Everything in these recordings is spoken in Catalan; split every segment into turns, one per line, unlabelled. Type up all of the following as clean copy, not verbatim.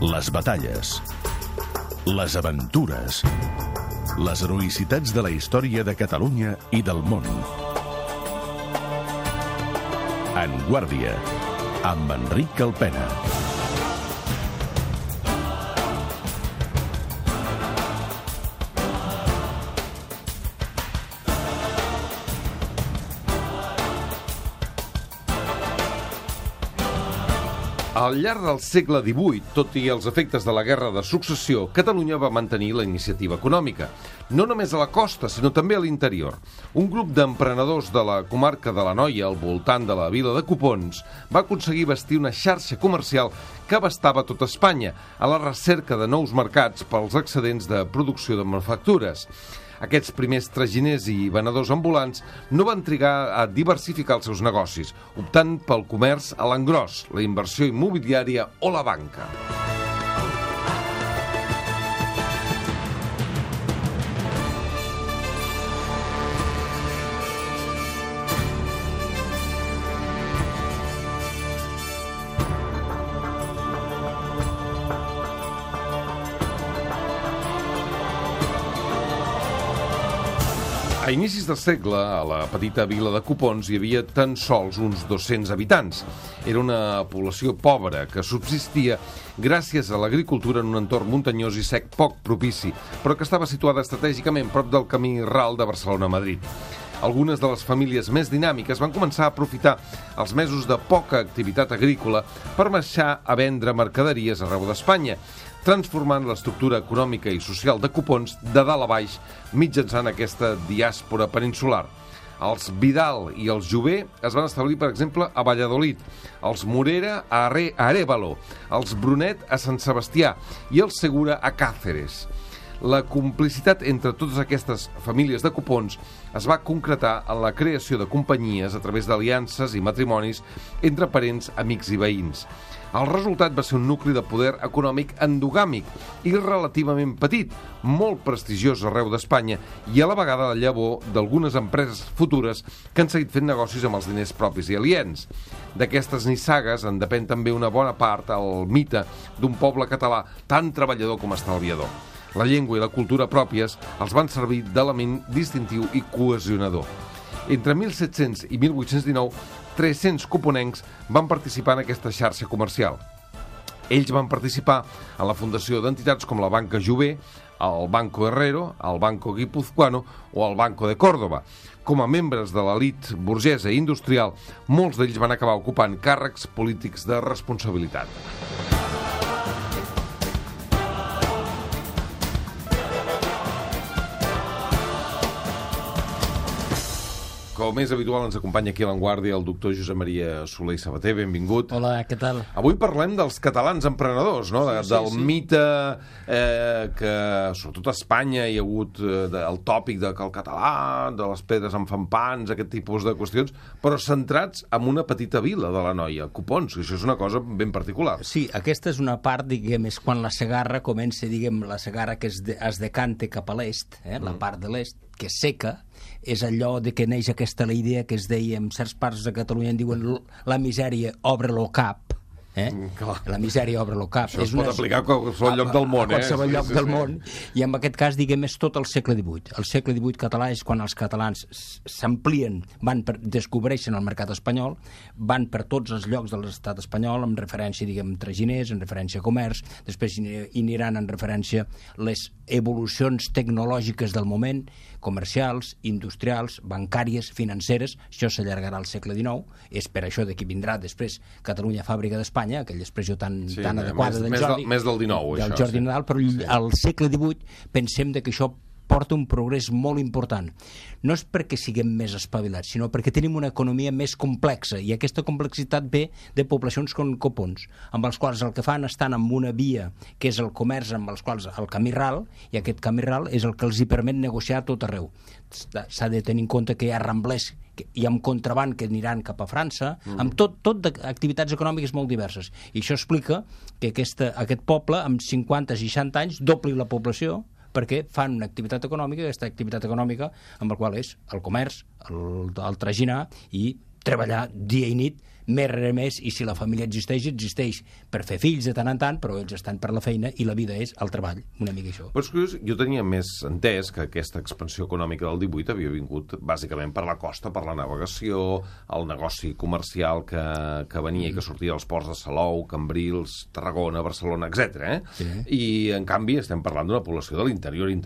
Les batalles, les aventures, les heroïcitats de la història de Catalunya i del món. En Guàrdia, amb Enric Calpena.
Al llarg del segle XVIII, tot i els efectes de la Guerra de Successió, Catalunya va mantenir la iniciativa econòmica. No només a la costa, sinó també a l'interior. Un grup d'emprenedors de la comarca de l'Anoia, al voltant de la vila de Copons, va aconseguir bastir una xarxa comercial que abastava tota Espanya, a la recerca de nous mercats pels excedents de producció de manufactures. Aquests primers traginers i venedors ambulants no van trigar a diversificar els seus negocis, optant pel comerç a l'engròs, la inversió immobiliària o la banca. A inicis del segle, a la petita vila de Copons hi havia tan sols uns 200 habitants. Era una població pobra que subsistia gràcies a l'agricultura en un entorn muntanyós i sec poc propici, però que estava situada estratègicament prop del camí ral de Barcelona a Madrid. Algunes de les famílies més dinàmiques van començar a aprofitar els mesos de poca activitat agrícola per marxar a vendre mercaderies arreu d'Espanya, transformant l'estructura econòmica i social de Copons de dalt a baix mitjançant aquesta diàspora peninsular. Els Vidal i els Jové es van establir, per exemple, a Valladolid, els Morera a Arévalo, els Brunet a Sant Sebastià i els Segura a Càceres. La complicitat entre totes aquestes famílies de Copons es va concretar en la creació de companyies a través d'aliances i matrimonis entre parents, amics i veïns. El resultat va ser un nucli de poder econòmic endogàmic i relativament petit, molt prestigiós arreu d'Espanya i a la vegada la llavor d'algunes empreses futures que han seguit fent negocis amb els diners propis i aliens. D'aquestes nissagues en depèn també una bona part el mite d'un poble català tan treballador com estalviador. La llengua i la cultura pròpies els van servir d'element distintiu i cohesionador. Entre 1700 i 1819, 300 coponencs van participar en aquesta xarxa comercial. Ells van participar en la fundació d'entitats com la Banca Jové, el Banco Herrero, el Banco Guipuzcoano o el Banco de Córdoba. Com a membres de l'elit burgesa i industrial, molts d'ells van acabar ocupant càrrecs polítics de responsabilitat. Com és habitual, ens acompanya aquí a l'Avantguàrdia el doctor Josep Maria Soler i Sabater. Benvingut.
Hola, què tal?
Avui parlem dels catalans emprenedors, no? Del mite que, sobretot a Espanya, hi ha hagut el tòpic de que el català, de les pedres en fan pans, aquest tipus de qüestions, però centrats en una petita vila de l'Anoia, Copons, que això és una cosa ben particular.
Sí, aquesta és una part, diguem, és quan la Segarra comença, diguem, la Segarra que es decanta cap a l'est, la part de l'est, que és seca, és allò de que neix aquesta la idea que es deia en certs parts de Catalunya, en diuen la misèria obre-lo cap, la misèria obre-lo cap.
Això es pot aplicar a qualsevol lloc del món,
a qualsevol lloc del món, i en aquest cas, diguem, és tot el segle XVIII. El segle XVIII català és quan els catalans s'amplien, descobreixen el mercat espanyol, van per tots els llocs de l'estat espanyol, en referència, diguem, traginers, en referència a comerç, després hi aniran en referència les evolucions tecnològiques del moment, comercials, industrials, bancàries, financeres. Això s'allargarà al segle XIX, és per això d'aquí vindrà després Catalunya fàbrica d'Espanya, aquella expressió tan adequada del Jordi.
Més del XIX,
del Jordi Nadal, però al segle XVIII pensem que això porta un progrés molt important. No és perquè siguem més espavilats, sinó perquè tenim una economia més complexa, i aquesta complexitat ve de poblacions com Copons, amb els quals el que fan estan en una via, que és el comerç, amb els quals el camí ral, i aquest camí ral és el que els hi permet negociar a tot arreu. S'ha de tenir en compte que hi ha ramblers i amb contraband que aniran cap a França, amb tot d'activitats econòmiques molt diverses. I això explica que aquest poble, amb 50-60 anys, dobli la població, perquè fan una activitat econòmica, aquesta activitat econòmica amb la qual és el comerç, el traginar i treballar dia i nit més res més, i si la família existeix per fer fills de tant en tant, però ells estan per la feina i la vida és el treball, una mica això.
Però és curiós, jo tenia més entès que aquesta expansió econòmica del 18 havia vingut bàsicament per la costa, per la navegació, el negoci comercial que venia i que sortia dels ports de Salou, Cambrils, Tarragona, Barcelona, etc.
Sí.
I, en canvi, estem parlant d'una població de l'interior de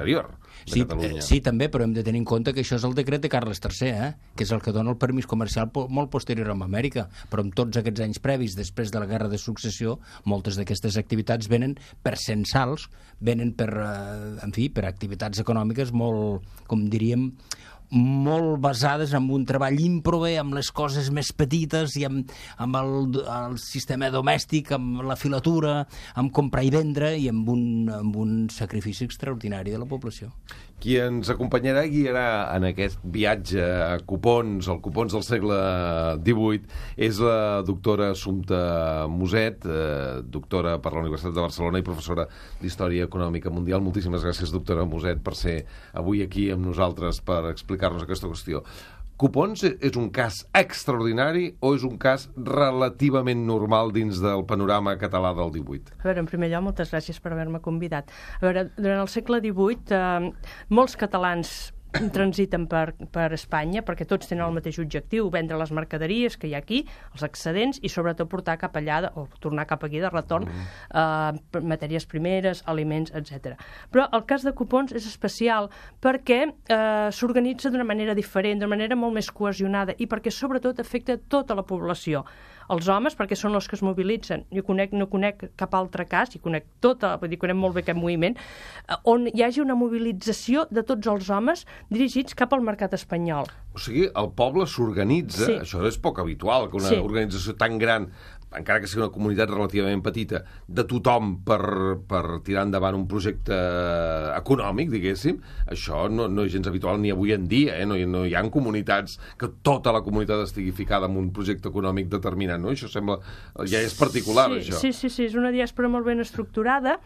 Catalunya.
Sí, també, però hem de tenir en compte que això és el decret de Carles III, que és el que dona el permís comercial molt posterior a Amèrica, però en tots aquests anys previs, després de la Guerra de Successió, moltes d'aquestes activitats venen per censals, venen per activitats econòmiques molt, com diríem, molt basades en un treball ímprobe, amb les coses més petites i amb el sistema domèstic, amb la filatura, amb comprar i vendre i amb un sacrifici extraordinari de la població.
Qui ens acompanyarà i guiarà en aquest viatge a Copons, al Copons del segle XVIII, és la doctora Assumpta Muset, doctora per la Universitat de Barcelona i professora d'Història Econòmica Mundial. Moltíssimes gràcies, doctora Muset, per ser avui aquí amb nosaltres per explicar-nos aquesta qüestió. Copons és un cas extraordinari o és un cas relativament normal dins del panorama català del 18?
A veure, en primer lloc, moltes gràcies per haver-me convidat. A veure, durant el segle XVIII, molts catalans transiten per Espanya perquè tots tenen el mateix objectiu, vendre les mercaderies que hi ha aquí, els excedents, i sobretot portar cap allà, o tornar cap aquí de retorn, matèries primeres, aliments, etc. Però el cas de Copons és especial perquè s'organitza d'una manera diferent, d'una manera molt més cohesionada, i perquè sobretot afecta tota la població. Els homes, perquè són els que es mobilitzen. Jo no conec cap altre cas, i conec conec molt bé aquest moviment, on hi hagi una mobilització de tots els homes dirigits cap al mercat espanyol.
O sigui, el poble s'organitza, sí. Això és poc habitual, que una organització tan gran, encara que sigui una comunitat relativament petita, de tothom per tirar endavant un projecte econòmic, diguéssim, això no és gens habitual ni avui en dia, no hi ha comunitats que tota la comunitat estigui ficada en un projecte econòmic determinat, no? Això sembla, ja és particular, això.
Sí, és una diàspora molt ben estructurada,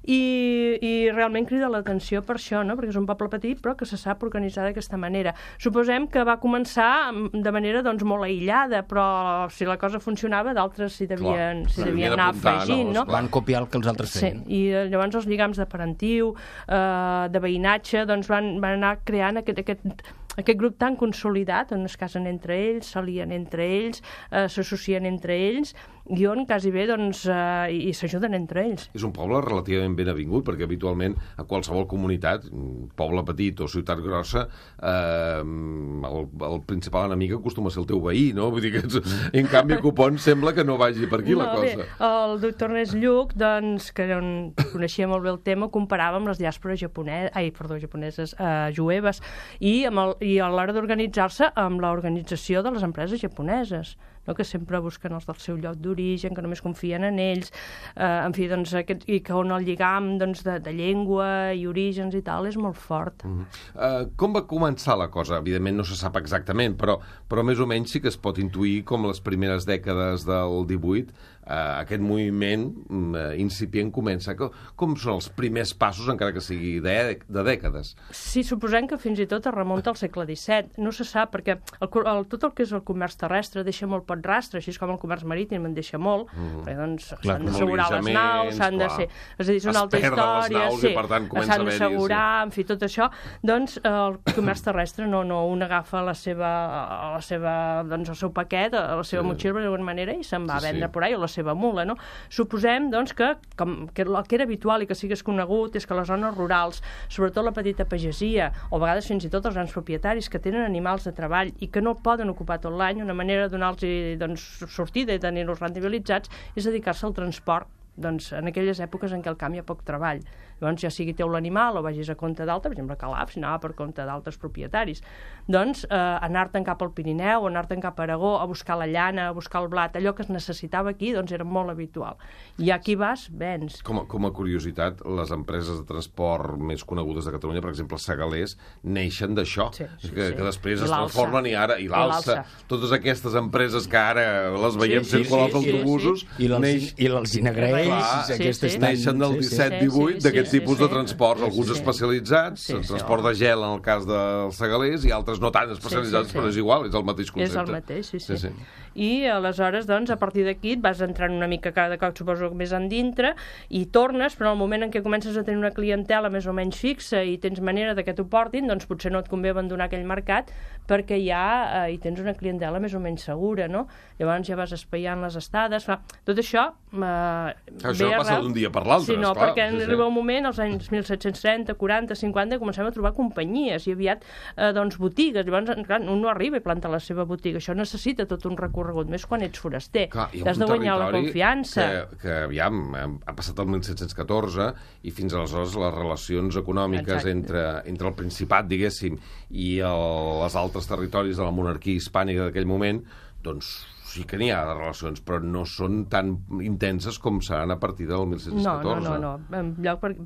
i realment crida l'atenció per això, no? Perquè és un poble petit però que se sap organitzar d'aquesta manera. Suposem que va començar de manera molt aïllada, però si la cosa funcionava d'altres s'hi devien anar afegint, no?
Van copiar el que els altres feien.
Sí, i llavors els lligams de parentiu, de veïnatge, van anar creant aquest grup tan consolidat, on es casen entre ells, s'alien entre ells, s'associen entre ells, i on quasi bé i s'ajuden entre ells.
És un poble relativament ben avingut, perquè habitualment a qualsevol comunitat, poble petit o ciutat grossa, el principal enemic acostuma a ser el teu veí, no? Vull dir que en canvi Copons sembla que no vagi per aquí la cosa.
Bé, el doctor Ernest Lluch, que coneixia molt bé el tema, comparava amb les diàspores japoneses, jueves, i a l'hora d'organitzar-se amb l'organització de les empreses japoneses, no? Que sempre busquen els del seu lloc d'origen, que només confien en ells, i que on el lligam de llengua i orígens i tal és molt fort.
Com va començar la cosa? Evidentment no se sap exactament, però més o menys sí que es pot intuir com les primeres dècades del 18 aquest moviment incipient comença. Com són els primers passos, encara que sigui de dècades?
Sí, suposem que fins i tot es remunta al segle XVII. No se sap, perquè tot el que és el comerç terrestre deixa molt poc rastre, així com el comerç marítim en deixa molt, perquè s'han d'assegurar les naus, s'han de ser... És a dir, és una altra història, s'han d'assegurar, en fi, tot això. Doncs el comerç terrestre no un agafa el seu paquet, la seva motxilla d'alguna manera, i se'n va a vendre por ahí, o la seva mula, no? Suposem, doncs, que el que era habitual i que sigués conegut és que les zones rurals, sobretot la petita pagesia, o a vegades fins i tot els grans propietaris que tenen animals de treball i que no poden ocupar tot l'any, una manera de donar-los sortida i tenir-los rendibilitzats és dedicar-se al transport, en aquelles èpoques en què al camp hi ha poc treball. Llavors, ja sigui teu l'animal o vagis a compte d'altre, per exemple, Calaf, si anava per compte d'altres propietaris. Doncs, anar-te'n cap al Pirineu, anar-te'n cap a Aragó, a buscar la llana, a buscar el blat, allò que es necessitava aquí, doncs era molt habitual. I aquí vas, vens.
Com a curiositat, les empreses de transport més conegudes de Catalunya, per exemple, Segalers, neixen d'això, que després es transformen i l'Alsa. Totes aquestes empreses que ara les veiem circular als autobusos...
I l'Alzina Graells,
neixen del 17-18 d'aquests tipus de transports, alguns especialitzats, el transport de gel en el cas dels Segalers i altres no tan especialitzats, però és igual, és el mateix concepte.
És el mateix, sí. i aleshores, doncs, a partir d'aquí et vas entrant una mica cada cop, suposo, més endintre, i tornes, però en el moment en què comences a tenir una clientela més o menys fixa i tens manera de que t'ho portin, doncs potser no et convé abandonar aquell mercat perquè ja hi tens una clientela més o menys segura, no? Llavors ja vas espaiant les estades. Tot això...
Això no passa d'un dia per l'altre,
sí, no, perquè arriba un moment, als anys 1730, 40, 50, comencem a trobar companyies i aviat, doncs, botigues. Llavors, clar, un no arriba i planta la seva botiga. Això necessita tot un recorregut, més quan ets foraster. T'has de guanyar la confiança.
Que aviam, ha passat el 1714 i fins aleshores les relacions econòmiques entre el Principat, diguéssim, i els altres territoris de la monarquia hispànica d'aquell moment, doncs sí que n'hi ha de relacions, però no són tan intenses com seran a partir del 1714.
No. En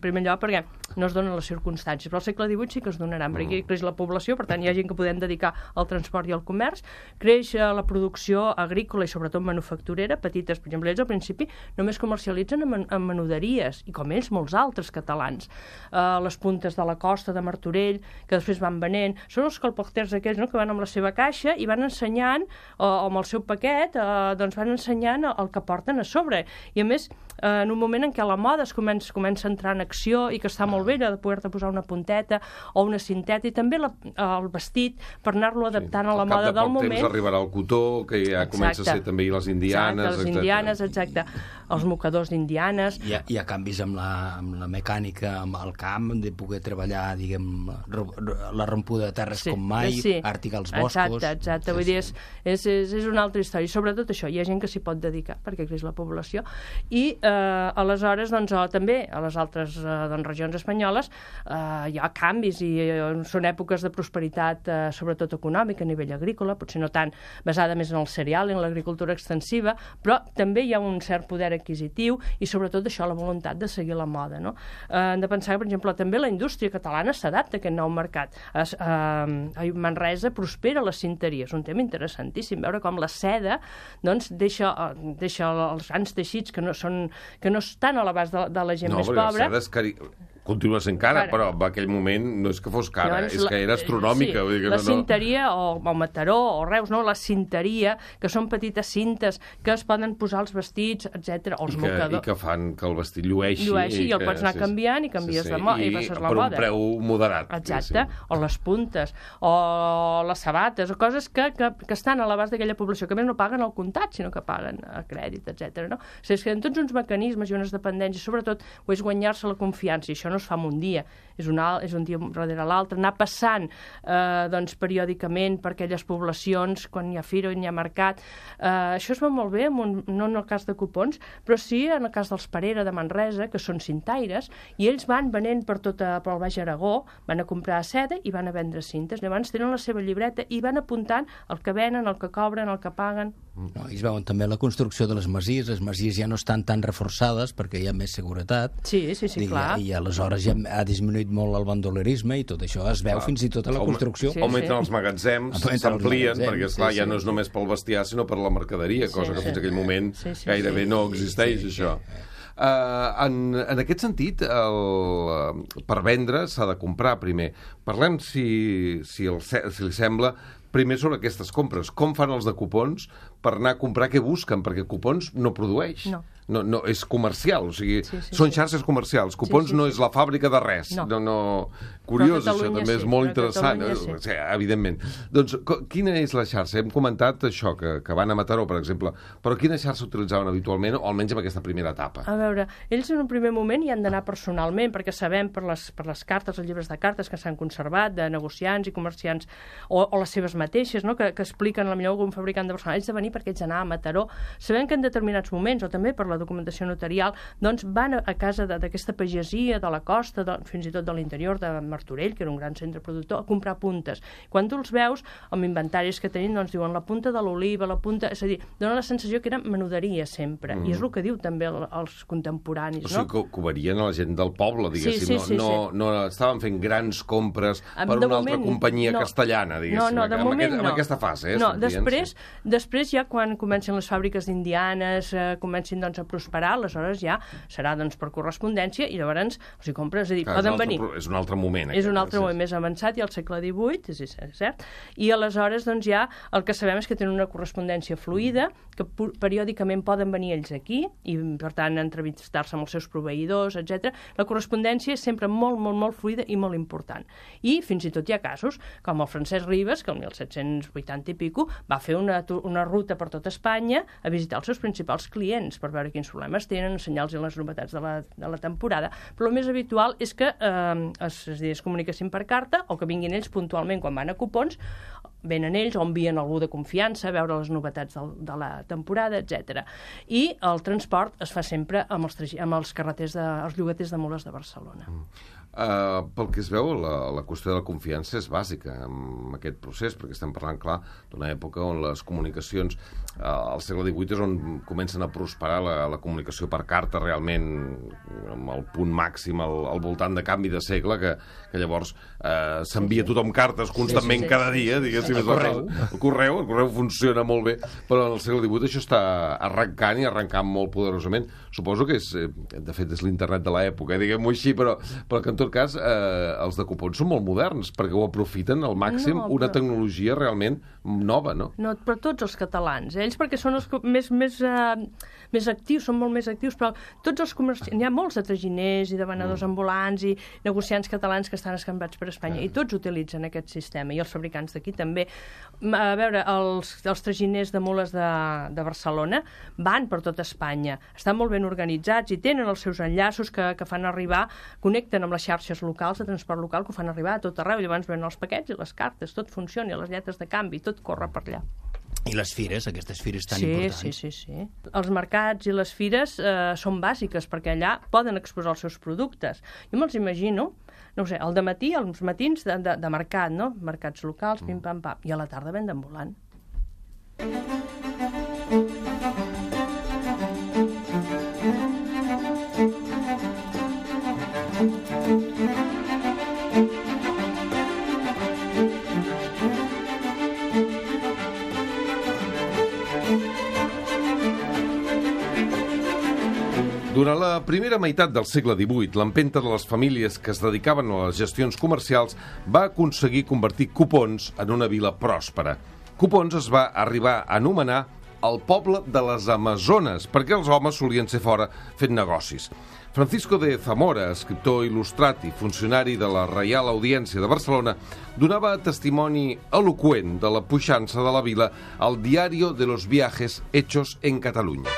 primer lloc perquè no es donen les circumstàncies, però al segle XVIII sí que es donaran, perquè creix la població, per tant hi ha gent que podem dedicar al transport i al comerç, creix la producció agrícola i sobretot manufacturera, petites, per exemple, ells al principi només comercialitzen en menuderies, i com ells molts altres catalans. Les puntes de la costa, de Martorell, que després van venent, són els colporters aquells, no?, que van amb la seva caixa i van ensenyant, o amb el seu paquet, doncs van ensenyant el que porten a sobre. I a més, en un moment en què la moda es comença a entrar en acció i que està molt bé de poder-te posar una punteta o una cinteta, i també el vestit per anar-lo adaptant a la moda del moment.
Al cap de poc temps arribarà el cotó, que ja comença a ser també les indianes.
Les indianes, exacte. Els mocadors d'indianes.
Hi ha canvis amb la mecànica, amb el camp, de poder treballar, diguem, la rompuda de terres com mai, àrtic als boscos.
Exacte. Vull dir, és una altra història. I sobretot això, hi ha gent que s'hi pot dedicar perquè creix la població. I aleshores, doncs, també a les altres regions espanyoles hi ha canvis i són èpoques de prosperitat, sobretot econòmica, a nivell agrícola, potser no tant basada més en el cereal, en l'agricultura extensiva, però també hi ha un cert poder adquisitiu i sobretot això, la voluntat de seguir la moda, no? Hem de pensar que, per exemple, també la indústria catalana s'adapta a aquest nou mercat. A Manresa prospera la cinteria, és un tema interessantíssim, veure com la seda, doncs, deixa els grans teixits que no estan a l'abast de la gent més pobra.
No, perquè la seda continua sent cara, però en aquell moment no és que fos cara, és que era astronòmica.
Sí, la cinteria, o Mataró, o Reus, no? La cinteria, que són petites cintes que es poden posar als vestits, etc. Els mocadors.
I que fan que el vestit llueixi.
I el pots anar canviant i canvies de moda. I passes la moda.
Per un preu moderat.
Exacte. O les puntes, o les sabates, o coses que estan a l'abast d'aquella població, que més no paguen al comptat, sinó que paguen a crèdit, etc. No? O sigui, és que en tots uns mecanismes i unes dependències, sobretot, ho és guanyar-se la confiança, i això no es fa en un dia, és un dia darrere l'altre, anar passant doncs, periòdicament per aquelles poblacions, quan hi ha fira o hi ha mercat. Això es va molt bé, no en el cas de Copons, però sí en el cas dels Parera de Manresa, que són cintaires, i ells van venent pel Baix Aragó, van a comprar seda i van a vendre cintes. Llavors tenen la seva llibreta i van apuntant el que venen, el que cobren, el que paguen.
No, i es veuen també la construcció de les masies ja no estan tan reforçades perquè hi ha més seguretat.
Sí, clar.
I aleshores ja ha disminuït molt el bandolerisme i tot això es veu fins i tot a la construcció.
Augmenten els magatzems, s'amplien, perquè esclar, ja no és només pel bestiar, sinó per la mercaderia, cosa que fins aquell moment gairebé no existeix, això. En aquest sentit, per vendre s'ha de comprar primer. Parlem, si li sembla, primer sobre aquestes compres. Com fan els de Copons per anar a comprar? Què busquen? Perquè Copons no produeix. No, és comercial, o sigui, són xarxes comercials. Copons no és la fàbrica de res. Curiós, això també és molt interessant, evidentment. Doncs, quina és la xarxa? Hem comentat això, que van a Mataró, per exemple, però quina xarxa utilitzaven habitualment, o almenys en aquesta primera etapa?
A veure, ells en un primer moment hi han d'anar personalment, perquè sabem per les cartes, els llibres de cartes que s'han conservat, de negociants i comerciants, o les seves mateixes, no?, que expliquen potser algun fabricant de Barcelona, ells de venir perquè ells anar a Mataró. Sabem que en determinats moments, o també per la documentació notarial, doncs van a casa d'aquesta pagesia de la costa, fins i tot de l'interior de Martorell, que era un gran centre productor, a comprar puntes. Quan tu els veus, amb inventaris que tenim, doncs diuen la punta de l'oliva, la punta... És a dir, dona la sensació que era menuderia sempre, i és el que diu també els contemporanis, no?
O sigui, que ho varien a la gent del poble, diguéssim. No estaven fent grans compres per una altra companyia castellana, diguéssim.
No, de moment no.
En aquesta fase,
no, després ja quan comencen les fàbriques d'indianes, comencin doncs, a prosperar, aleshores ja serà doncs, per correspondència i llavors els hi compres, és a dir, poden venir.
És un altre moment.
És un altre moment més avançat, i al segle XVIII, és cert, i aleshores doncs, ja el que sabem és que tenen una correspondència fluida, que periòdicament poden venir ells aquí i, per tant, entrevistar-se amb els seus proveïdors, etc. La correspondència és sempre molt, molt, molt fluida i molt important. I fins i tot hi ha casos, com el Francesc Ribes, que el 1780 i pico va fer una ruta per tot Espanya a visitar els seus principals clients per veure quins problemes tenen, ensenyar-los les novetats de la temporada. Però el més habitual és que es comuniquessin per carta o que vinguin ells puntualment quan van a Copons, venen ells o envien algú de confiança a veure les novetats de la temporada, etc. I el transport es fa sempre amb els llogaters de mules de Barcelona.
Pel que es veu, la qüestió de la confiança és bàsica en aquest procés, perquè estem parlant, clar, d'una època on les comunicacions, al segle XVIII és on comencen a prosperar la comunicació per carta realment amb el punt màxim al voltant de canvi de segle, que llavors s'envia tothom cartes constantment cada dia, diguéssim. El correu funciona molt bé, però en el segle XVIII això està arrencant i arrencant molt poderosament. Suposo que de fet és l'internet de l'època, diguem-ho així, però que en tot cas els de Copons són molt moderns, perquè ho aprofiten al màxim, una tecnologia realment nova, no?
No, però tots els catalans, ells perquè són els més actius, són molt més actius, però tots els comerciants, hi ha molts de traginers i de venedors ambulants i negociants catalans que estan escampats per Espanya, i tots utilitzen aquest sistema, i els fabricants d'aquí també. A veure, els traginers de mules de Barcelona van per tot Espanya, estan molt ben organitzats i tenen els seus enllaços que fan arribar, connecten amb les xarxes locals de transport local que ho fan arribar a tot arreu, i llavors venen els paquets i les cartes, tot funciona, les lletres de canvi, tot corre per allà.
I les fires, aquestes fires tan importants.
Sí. Els mercats i les fires són bàsiques, perquè allà poden exposar els seus productes. Jo me'ls imagino, no ho sé, al dematí, als matins de mercat, no? Mercats locals, pim-pam-pam, i a la tarda venda ambulant.
Durant la primera meitat del segle XVIII, l'empenta de les famílies que es dedicaven a les gestions comercials va aconseguir convertir Copons en una vila pròspera. Copons es va arribar a anomenar el poble de les Amazones, perquè els homes solien ser fora fent negocis. Francisco de Zamora, escriptor il·lustrat i funcionari de la Reial Audiència de Barcelona, donava testimoni eloqüent de la puixança de la vila al Diario de los Viajes Hechos en Catalunya.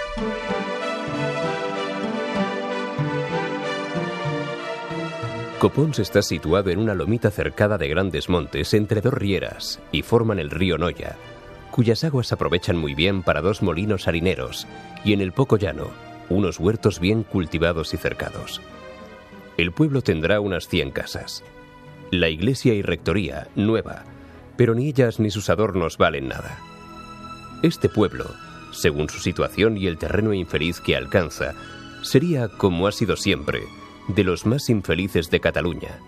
Copons está situado en una lomita cercada de grandes montes entre dos rieras y forman el río Noya, cuyas aguas aprovechan muy bien para dos molinos harineros y en el poco llano, unos huertos bien cultivados y cercados. El pueblo tendrá unas 100 casas. La iglesia y rectoría, nueva, pero ni ellas ni sus adornos valen nada. Este pueblo, según su situación y el terreno infeliz que alcanza, sería, como ha sido siempre, de los más infelices de Cataluña.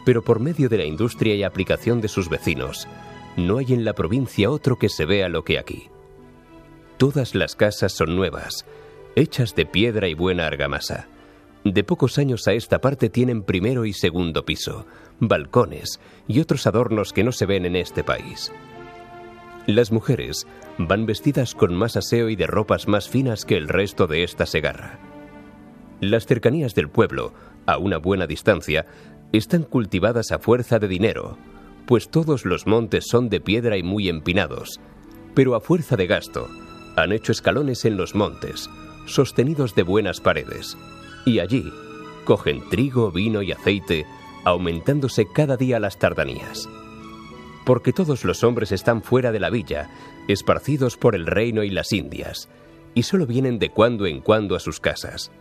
Pero por medio de la industria y aplicación de sus vecinos, no hay en la provincia otro que se vea lo que aquí. Todas las casas son nuevas, hechas de piedra y buena argamasa. De pocos años a esta parte tienen primero y segundo piso, balcones y otros adornos que no se ven en este país. Las mujeres van vestidas con más aseo y de ropas más finas que el resto de esta segarra. Las cercanías del pueblo, a una buena distancia, están cultivadas a fuerza de dinero, pues todos los montes son de piedra y muy empinados, pero a fuerza de gasto han hecho escalones en los montes, sostenidos de buenas paredes, y allí cogen trigo, vino y aceite, aumentándose cada día las tardanías. Porque todos los hombres están fuera de la villa, esparcidos por el reino y las Indias, y solo vienen de cuando en cuando a sus casas.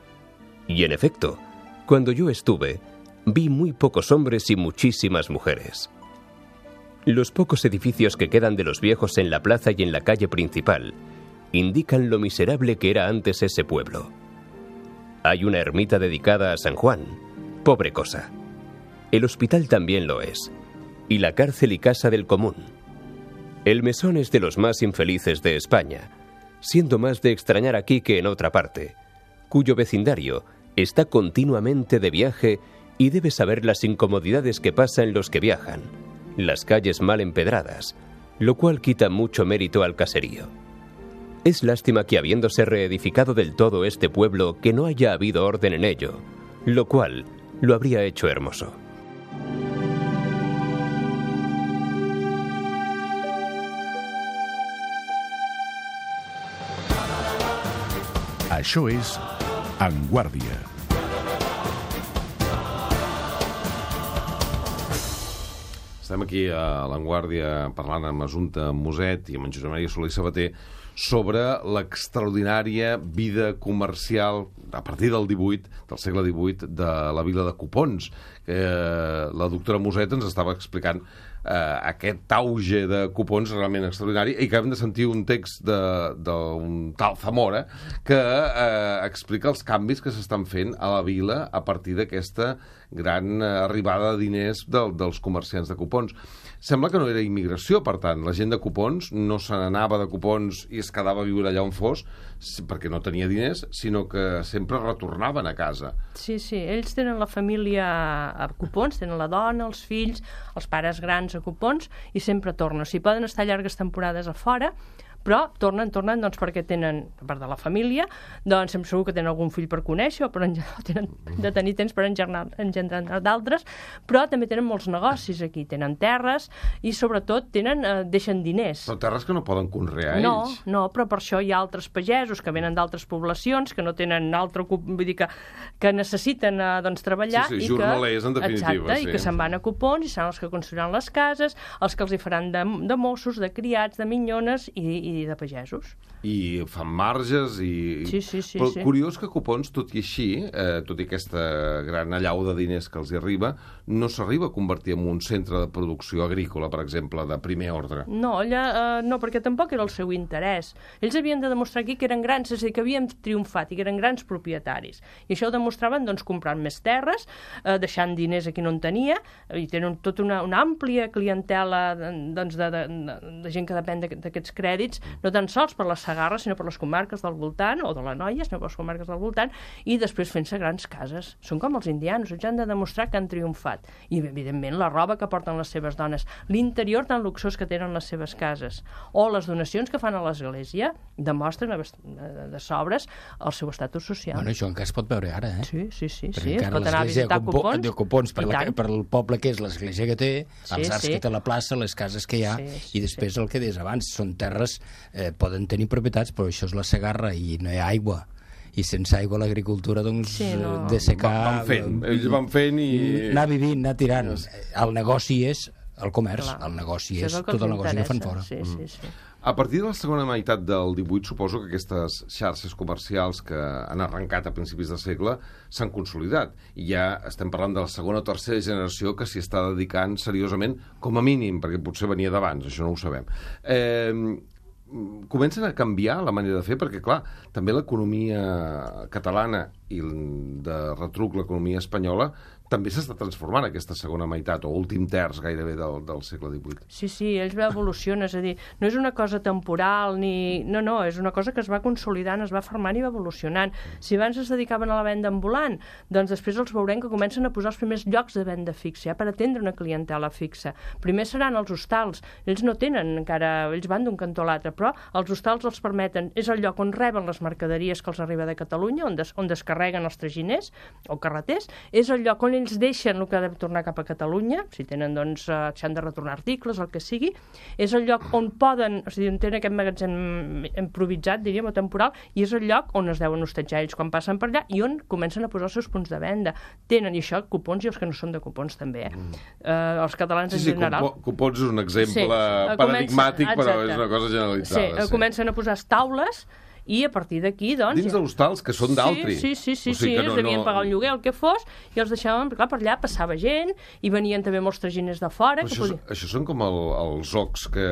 Y en efecto, cuando yo estuve, vi muy pocos hombres y muchísimas mujeres. Los pocos edificios que quedan de los viejos en la plaza y en la calle principal indican lo miserable que era antes ese pueblo. Hay una ermita dedicada a San Juan, pobre cosa. El hospital también lo es, y la cárcel y casa del común. El mesón es de los más infelices de España, siendo más de extrañar aquí que en otra parte, cuyo vecindario está continuamente de viaje y debe saber las incomodidades que pasan los que viajan, las calles mal empedradas, lo cual quita mucho mérito al caserío. Es lástima que habiéndose reedificado del todo este pueblo que no haya habido orden en ello, lo cual lo habría hecho hermoso.
Això és En Guàrdia.
Estem aquí a l'Avantguàrdia parlant amb Assumpta Muset i amb en Josep Maria Soler i Sabater sobre l'extraordinària vida comercial a partir del segle XVIII de la vila de Copons. La doctora Muset ens estava explicant aquest auge de Copons realment extraordinari, i acabem de sentir un text d'un tal Zamora que explica els canvis que s'estan fent a la vila a partir d'aquesta gran arribada de diners dels comerciants de Copons. Sembla que no era immigració, per tant, la gent de Copons no se n'anava de Copons i es quedava a viure allà on fos perquè no tenia diners, sinó que sempre retornaven a casa.
Sí, ells tenen la família a Copons, tenen la dona, els fills, els pares grans a Copons, i sempre tornen. O sigui, poden estar llargues temporades a fora, però tornen doncs, perquè tenen, a part de la família, doncs sempre segur que tenen algun fill per conèixer o tenen de tenir temps per engendrar d'altres, però també tenen molts negocis aquí, tenen terres i sobretot deixen diners.
Però terres que no poden conrear ells.
No, però per això hi ha altres pagesos que venen d'altres poblacions, que no tenen vull dir que necessiten treballar.
Sí, jornalers, en definitiva.
Exacte, i que se'n van a Copons i seran els que construiran les cases, els que els hi faran de mossos, de criats, de minyones i de pagesos.
I fan marges i...
Sí.
Però curiós que Copons, tot i així, tot i aquesta gran allau de diners que els hi arriba, no s'arriba a convertir en un centre de producció agrícola, per exemple, de primer ordre.
No, allà no, perquè tampoc era el seu interès. Ells havien de demostrar aquí que eren grans, és a dir, que havien triomfat i que eren grans propietaris. I això ho demostraven comprant més terres, deixant diners a qui no en tenia, i tenen tota una àmplia clientela de gent que depèn d'aquests crèdits, no tan sols per la Segarra, sinó per les comarques del voltant, o de l'Anoia, sinó per les comarques del voltant, i després fent-se grans cases. Són com els indianos, ells han de demostrar que han triomfat. I, evidentment, la roba que porten les seves dones, l'interior tan luxós que tenen les seves cases, o les donacions que fan a l'església, demostren de sobres el seu estatus social.
Bueno, això encara es pot veure ara, eh?
Sí.
Perquè encara l'església de Copons, per el poble que és l'església que té, els arcs que té la plaça, les cases que hi ha, i després el que deies abans, són terres, poden tenir propietats, però això és la Segarra i no hi ha aigua. I sense aigua l'agricultura, doncs, de secar...
Ells van fent i...
Anar vivint, anar tirant. El negoci és el comerç, el negoci és tot el negoci que fan fora.
Sí.
A partir de la segona meitat del 18, suposo que aquestes xarxes comercials que han arrencat a principis de segle s'han consolidat. I ja estem parlant de la segona o tercera generació que s'hi està dedicant seriosament, com a mínim, perquè potser venia d'abans, això no ho sabem. Comencen a canviar la manera de fer, perquè, clar, també l'economia catalana i de retruc l'economia espanyola també s'està transformant aquesta segona meitat o últim terç gairebé del segle XVIII.
Sí, ells va evolucionar, és a dir, no és una cosa temporal ni... No, és una cosa que es va consolidant, es va formant i va evolucionant. Si abans es dedicaven a la venda ambulant, doncs després els veurem que comencen a posar els primers llocs de venda fixa, per atendre una clientela fixa. Primer seran els hostals, ells no tenen encara, ells van d'un cantó a l'altre, però els hostals els permeten, és el lloc on reben les mercaderies que els arriba de Catalunya, on descarreguen els traginers o carreters, és el lloc on ells deixen el que ha de tornar cap a Catalunya, si tenen, doncs, si han de retornar articles, el que sigui, és el lloc on poden, o sigui, on tenen aquest magatzem improvisat, diríem, o temporal, i és el lloc on es deuen hostatjar ells quan passen per allà i on comencen a posar els seus punts de venda. Tenen, i això, Copons i els que no són de Copons també, els catalans en general.
Copons és un exemple paradigmàtic, però és una cosa generalitzada.
Comencen a posar taules i a partir d'aquí, doncs...
Dins d'hostals, que són d'altri.
Sí, ells devien pagar un lloguer, el que fos, i els deixaven, clar, per allà passava gent, i venien també molts traginers de fora...
Això són com els zocs que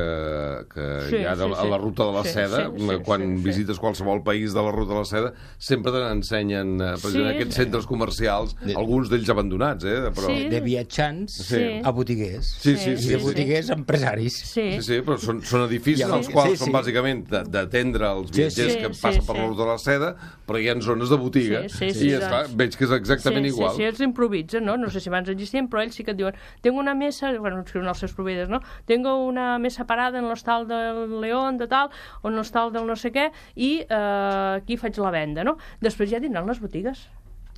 hi ha a la ruta de la seda, quan visites qualsevol país de la ruta de la seda, sempre t'ensenyen, precisament, aquests centres comercials, alguns d'ells abandonats, però...
De viatjants a botiguers.
I
de botiguers a empresaris.
Sí, però són edificis els quals són bàsicament d'atendre els viatgers que passen per la ruta de la seda, però hi ha zones de botiga. I veig que és exactament igual.
Sí, ells improvisen, no? No sé si abans existien, però ells sí que et diuen tengo una mesa, bueno, escriuen els seus proveïdors, no? Tengo una mesa parada en l'hostal del León, de tal, o en l'hostal del no sé què, i aquí faig la venda, no? Després ja tindran les botigues.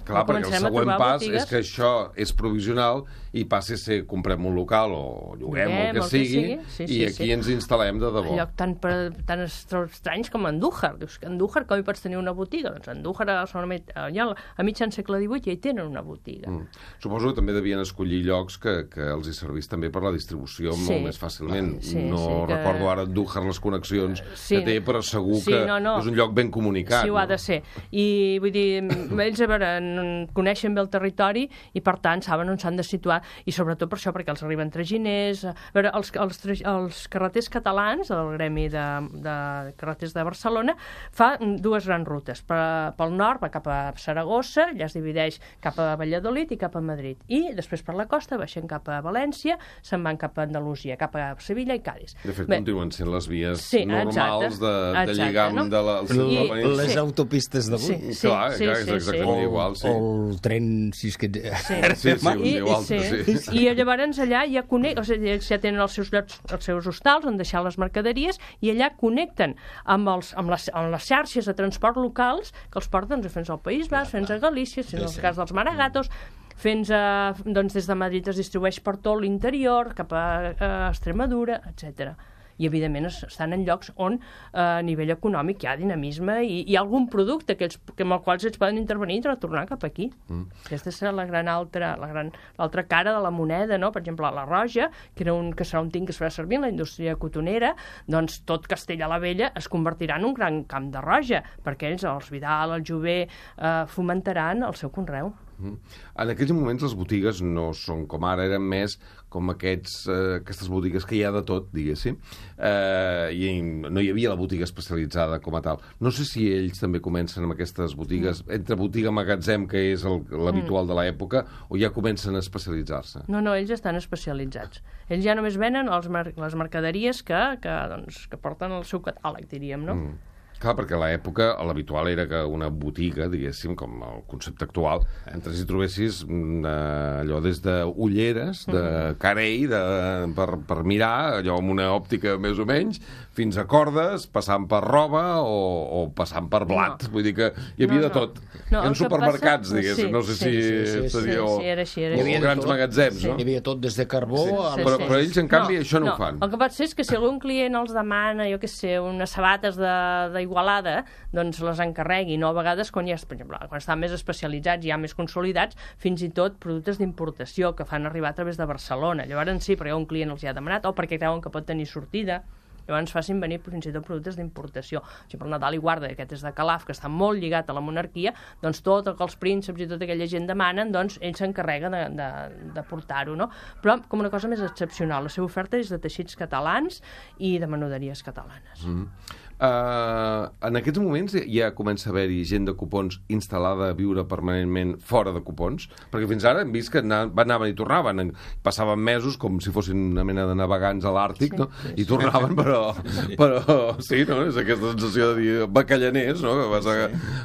Clar, perquè el següent pas és que això és provisional i passi a ser comprem un local o lloguem el que sigui i aquí ens instal·lem de debò.
Lloc tan estranys com Andújar. Dius que Andújar com hi pots tenir una botiga? Doncs Andújar a mitjan segle XVIII ja hi tenen una botiga.
Suposo que també devien escollir llocs que els hi servís també per la distribució molt més fàcilment. No recordo ara Andújar les connexions que té, però segur que és un lloc ben comunicat.
Sí, ho ha de ser. I vull dir, ells, a veure, coneixen bé el territori i per tant saben on s'han de situar i sobretot per això perquè els arriben traginers. A veure, els carreters catalans, el gremi de carreters de Barcelona, fa dues grans rutes. Pel nord va cap a Saragossa, allà es divideix cap a Valladolid i cap a Madrid. I després per la costa baixen cap a València, se'n van cap a Andalusia, cap a Sevilla i Cádiz.
De fet, continuen sent les vies normals de lligam de
les autopistes d'avui.
Clar, és exactament igual, sí.
El tren, si és que...
I llavors allà ja ells ja tenen els seus llocs, els seus hostals on deixar les mercaderies i allà connecten amb les xarxes de transport locals que els porten fins al País Basc, fins a Galícia, en el cas dels Maragatos, des de Madrid es distribueix per tot l'interior, cap a Extremadura, etc. I, evidentment, estan en llocs on, a nivell econòmic, hi ha dinamisme i hi ha algun producte amb el qual ells poden intervenir i retornar cap aquí. Aquesta és l'altra cara de la moneda, no? Per exemple, la Roja, que serà un tint que es farà servir en la indústria cotonera, doncs tot Castella la Vella es convertirà en un gran camp de roja, perquè ells, els Vidal, el Jover, fomentaran el seu conreu.
En aquells moments les botigues no són com ara, eren més com aquestes botigues que hi ha de tot, diguéssim, i no hi havia la botiga especialitzada com a tal. No sé si ells també comencen amb aquestes botigues, entre botiga i magatzem, que és l'habitual de l'època, o ja comencen a especialitzar-se?
No, ells estan especialitzats. Ells ja només venen les mercaderies que porten el seu catàleg, diríem, no?
Clar, perquè a l'època l'habitual era que una botiga, diguéssim, com el concepte actual, entres i trobessis allò des d'ulleres, de carell, per mirar, allò amb una òptica més o menys, fins a cordes, passant per roba o passant per blat. Vull dir que hi havia de tot. Hi ha supermercats, diguéssim, no sé si o grans magatzems, no?
Hi havia tot des de carbó...
Però ells, en canvi, això no ho fan.
El que pot ser és que si algun client els demana, jo què sé, unes sabates d'Igualada, doncs les encarreguin, o a vegades quan estan més especialitzats i ja més consolidats, fins i tot productes d'importació que fan arribar a través de Barcelona. Llavors sí, perquè un client els hi ha demanat, o perquè creuen que pot tenir sortida. Llavors facin venir fins i tot productes d'importació. Si per Nadal i Guarda, aquest és de Calaf, que està molt lligat a la monarquia, doncs tot el que els prínceps i tota aquella gent demanen, doncs ell s'encarrega de portar-ho, no? Però com una cosa més excepcional. La seva oferta és de teixits catalans i de menuderies catalanes.
En aquests moments ja comença a haver-hi gent de Copons instal·lada a viure permanentment fora de Copons, perquè fins ara hem vist que anaven i tornaven, passaven mesos com si fossin una mena de navegants a l'Àrtic, no? I tornaven, però sí, no? És aquesta sensació de dir bacallaners, no? Que vas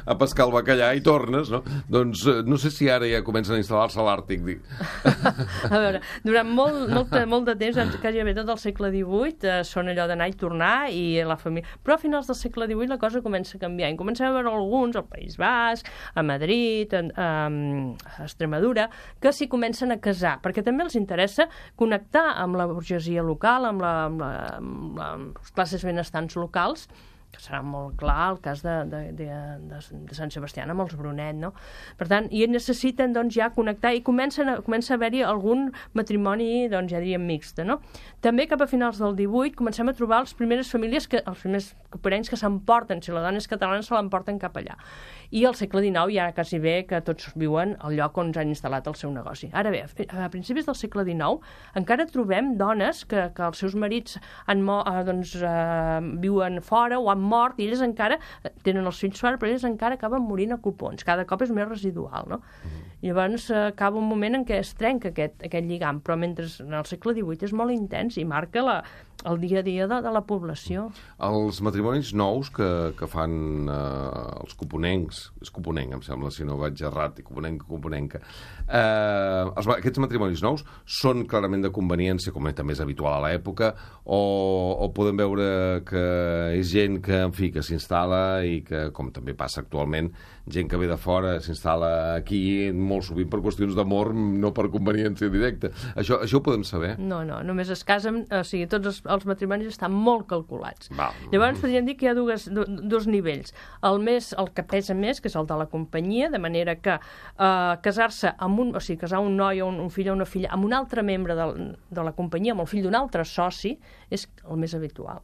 a pescar el bacallà i tornes, no? Doncs no sé si ara ja comencen a instal·lar-se a l'Àrtic.
A veure, durant molt de temps, gairebé tot el segle XVIII, són allò d'anar i tornar i la família... Però a finals del segle XVIII la cosa comença a canviar. I comencem a veure alguns, al País Basc, a Madrid, a Extremadura, que s'hi comencen a casar, perquè també els interessa connectar amb la burgesia local, amb les classes benestants locals, que serà molt clar el cas de Sant Sebastià amb els Brunet, no? Per tant, i necessiten doncs, ja connectar i comença a haver-hi algun matrimoni, doncs, ja diríem mixta, no? També cap a finals del 18 comencem a trobar les primeres famílies, els primers coparencs que s'emporten, si la dona és catalana se l'emporten cap allà. I al segle XIX ja quasi bé que tots viuen al lloc on han instal·lat el seu negoci. Ara bé, a principis del segle XIX encara trobem dones que els seus marits viuen fora o han mort i elles encara tenen els fills fora, però elles encara acaben morint a copons. Cada cop és més residual, no? Llavors acaba un moment en què es trenca aquest lligam, però mentre en el segle XVIII és molt intens i marca el dia a dia de la població.
Els matrimonis nous que fan els coponencs, és coponenc, em sembla, si no vaig errat, coponenca. Aquests matrimonis nous són clarament de conveniència, com també és habitual a l'època, o podem veure que és gent que, en fi, que s'instal·la i que, com també passa actualment, gent que ve de fora s'instal·la aquí molt sovint per qüestions d'amor, no per conveniència directa. Això ho podem saber?
No, només es casen, o sigui, tots els matrimonis estan molt calculats. Llavors podríem dir que hi ha dos nivells. El que pesa més, que és el de la companyia, de manera que casar-se casar un noi o un fill o una filla amb un altre membre de la companyia, amb el fill d'un altre soci, és el més habitual.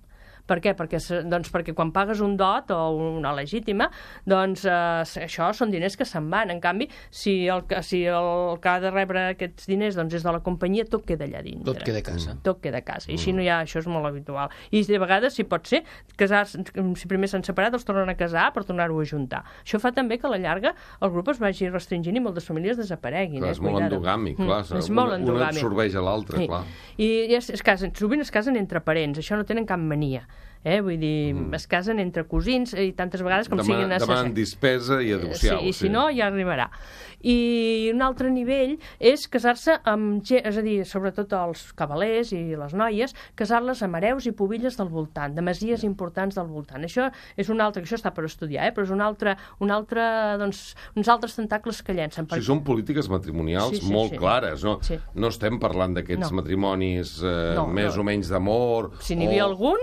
Per què? Perquè quan pagues un dot o una legítima, doncs això són diners que se'n van. En canvi, si el que ha de rebre aquests diners és de la companyia, tot queda allà dintre.
Tot queda a casa.
Tot queda a casa. I així no hi ha, això és molt habitual. I de vegades, si pot ser, si primer s'han separat, els tornen a casar per tornar-ho a juntar. Això fa també que a la llarga el grup es vagi restringint i moltes famílies desapareguin.
És molt endogàmic, clar.
És molt endogàmic.
Un absorbeix a l'altre, clar.
I sovint es casen entre parents, això no tenen cap mania. Vull dir, es casen entre cosins i tantes vegades com siguin necessaris.
Demanen dispesa i adopció.
I si no, ja arribarà. I un altre nivell és casar-se amb gent, és a dir, sobretot els cavalers i les noies, casar-les amb hereus i pubilles del voltant, de masies importants del voltant. Això és un altre, que això està per estudiar, però és uns altres tentacles que llencen.
Sí, són polítiques matrimonials molt clares, no? Sí. No estem parlant d'aquests matrimonis més o menys d'amor.
Si n'hi havia algun...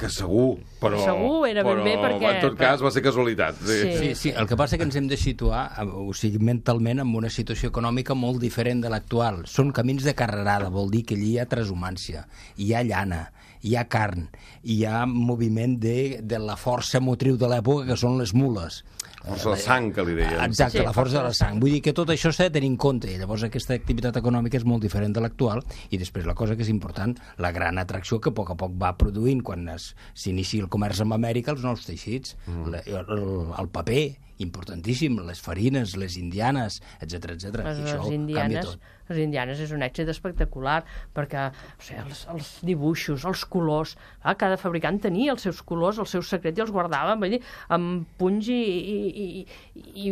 Que segur, però...
Segur, era ben bé perquè...
En tot cas va ser casualitat.
Sí, el que passa és que ens hem de situar, o sigui, mentalment, en una situació econòmica molt diferent de l'actual. Són camins de carrerada, vol dir que allí hi ha transhumància, hi ha llana, hi ha carn, hi ha moviment de la força motriu de l'època, que són les mules.
Força de sang, que li deien.
Exacte, la força de la sang. Vull dir que tot això s'ha de tenir en compte. Llavors aquesta activitat econòmica és molt diferent de l'actual i després la cosa que és important, la gran atracció que a poc va produint quan s'inicia el comerç amb Amèrica, els nous teixits, el paper, importantíssim, les farines, les indianes, etc. I això canvia tot.
Les indianes és un èxit espectacular perquè els dibuixos, els colors, cada fabricant tenia els seus colors, els seus secrets i els guardava amb punys i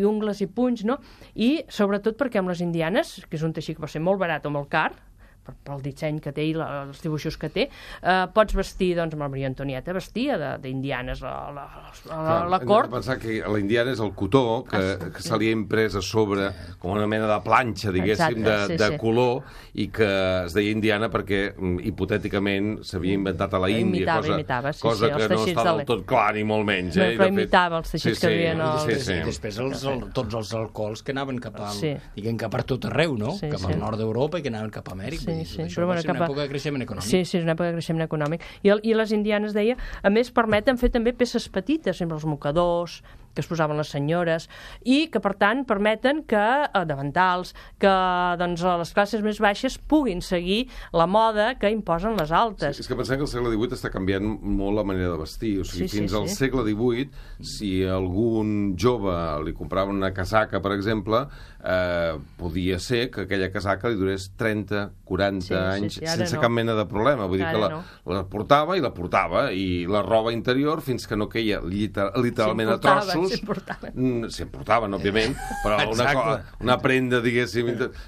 ungles i punys, no? I sobretot perquè amb les indianes, que és un teixit que va ser molt barat o molt car, pel disseny que té i els dibuixos que té, pots vestir, doncs, amb la Maria Antonieta vestia d'indianes a la cort.
Hem de pensar que la indiana és el cotó que se li ha imprès a sobre com una mena de planxa, diguéssim, de color, i que es deia indiana perquè hipotèticament s'havia inventat a la Índia, cosa que no està del tot clar ni molt menys.
Però imitava els teixits que havien...
I després tots els alcohols que anaven cap per tot arreu, no? Cap al nord d'Europa i que anaven cap a Amèrica. Això va ser una època de creixement econòmic.
Sí, és una època de creixement econòmic. I les indianes, deia, a més permeten fer també peces petites, sempre els mocadors, que es posaven les senyores, i que, per tant, permeten que davantals, que doncs, les classes més baixes puguin seguir la moda que imposen les altes.
Sí, és que pensem que el segle XVIII està canviant molt la manera de vestir. O sigui, fins al segle XVIII, si algun jove li comprava una casaca, per exemple, podia ser que aquella casaca li durés 30, 40 anys sense cap mena de problema. Vull dir que la portava, i la roba interior, fins que no queia literalment a trossos. S'importaven, òbviament, però una prenda, diguéssim,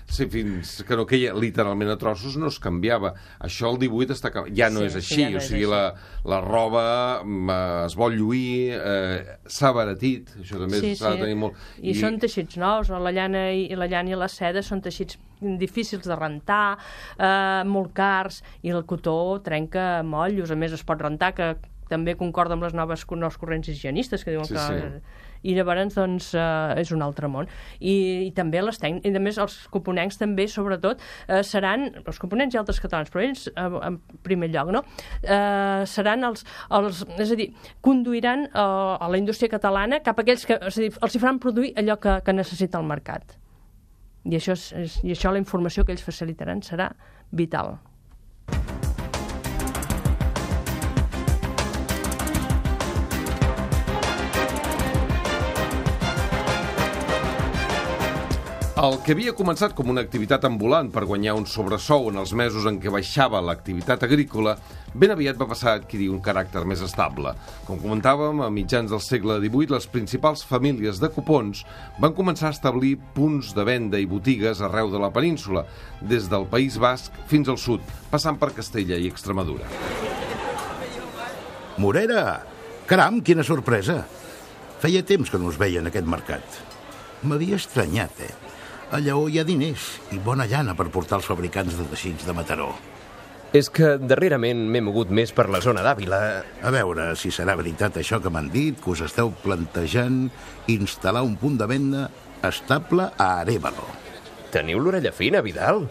fins que no queia literalment a trossos, no es canviava. Això el 18 està canviant. Ja no és així, o sigui, la roba es vol lluir, s'ha abaratit, això també s'ha de tenir molt...
I són teixits nous, la llana i la seda són teixits difícils de rentar, molt cars, i el cotó trenca mollos, a més es pot rentar, que també concorda amb les nous corrents higienistes, que diuen que... I llavors, doncs, és un altre món. I també les tècniques, i a més els coponencs també, sobretot, seran, els coponents i altres catalans, però ells, en primer lloc, no? Seran és a dir, conduiran a la indústria catalana cap a aquells que, és a dir, els hi faran produir allò que necessita el mercat. I això la informació que ells facilitaran serà vital.
El que havia començat com una activitat ambulant per guanyar un sobresou en els mesos en què baixava l'activitat agrícola, ben aviat va passar a adquirir un caràcter més estable. Com comentàvem, a mitjans del segle XVIII, les principals famílies de cupons van començar a establir punts de venda i botigues arreu de la península, des del País Basc fins al sud, passant per Castella i Extremadura.
Morera! Caram, quina sorpresa! Feia temps que no us veia en aquest mercat. M'havia estranyat, A Lleó hi ha diners i bona llana per portar els fabricants de teixits de Mataró.
És que darrerament m'he mogut més per la zona d'Àvila.
A veure si serà veritat això que m'han dit, que us esteu plantejant instal·lar un punt de venda estable a Arévalo.
Teniu l'orella fina, Vidal?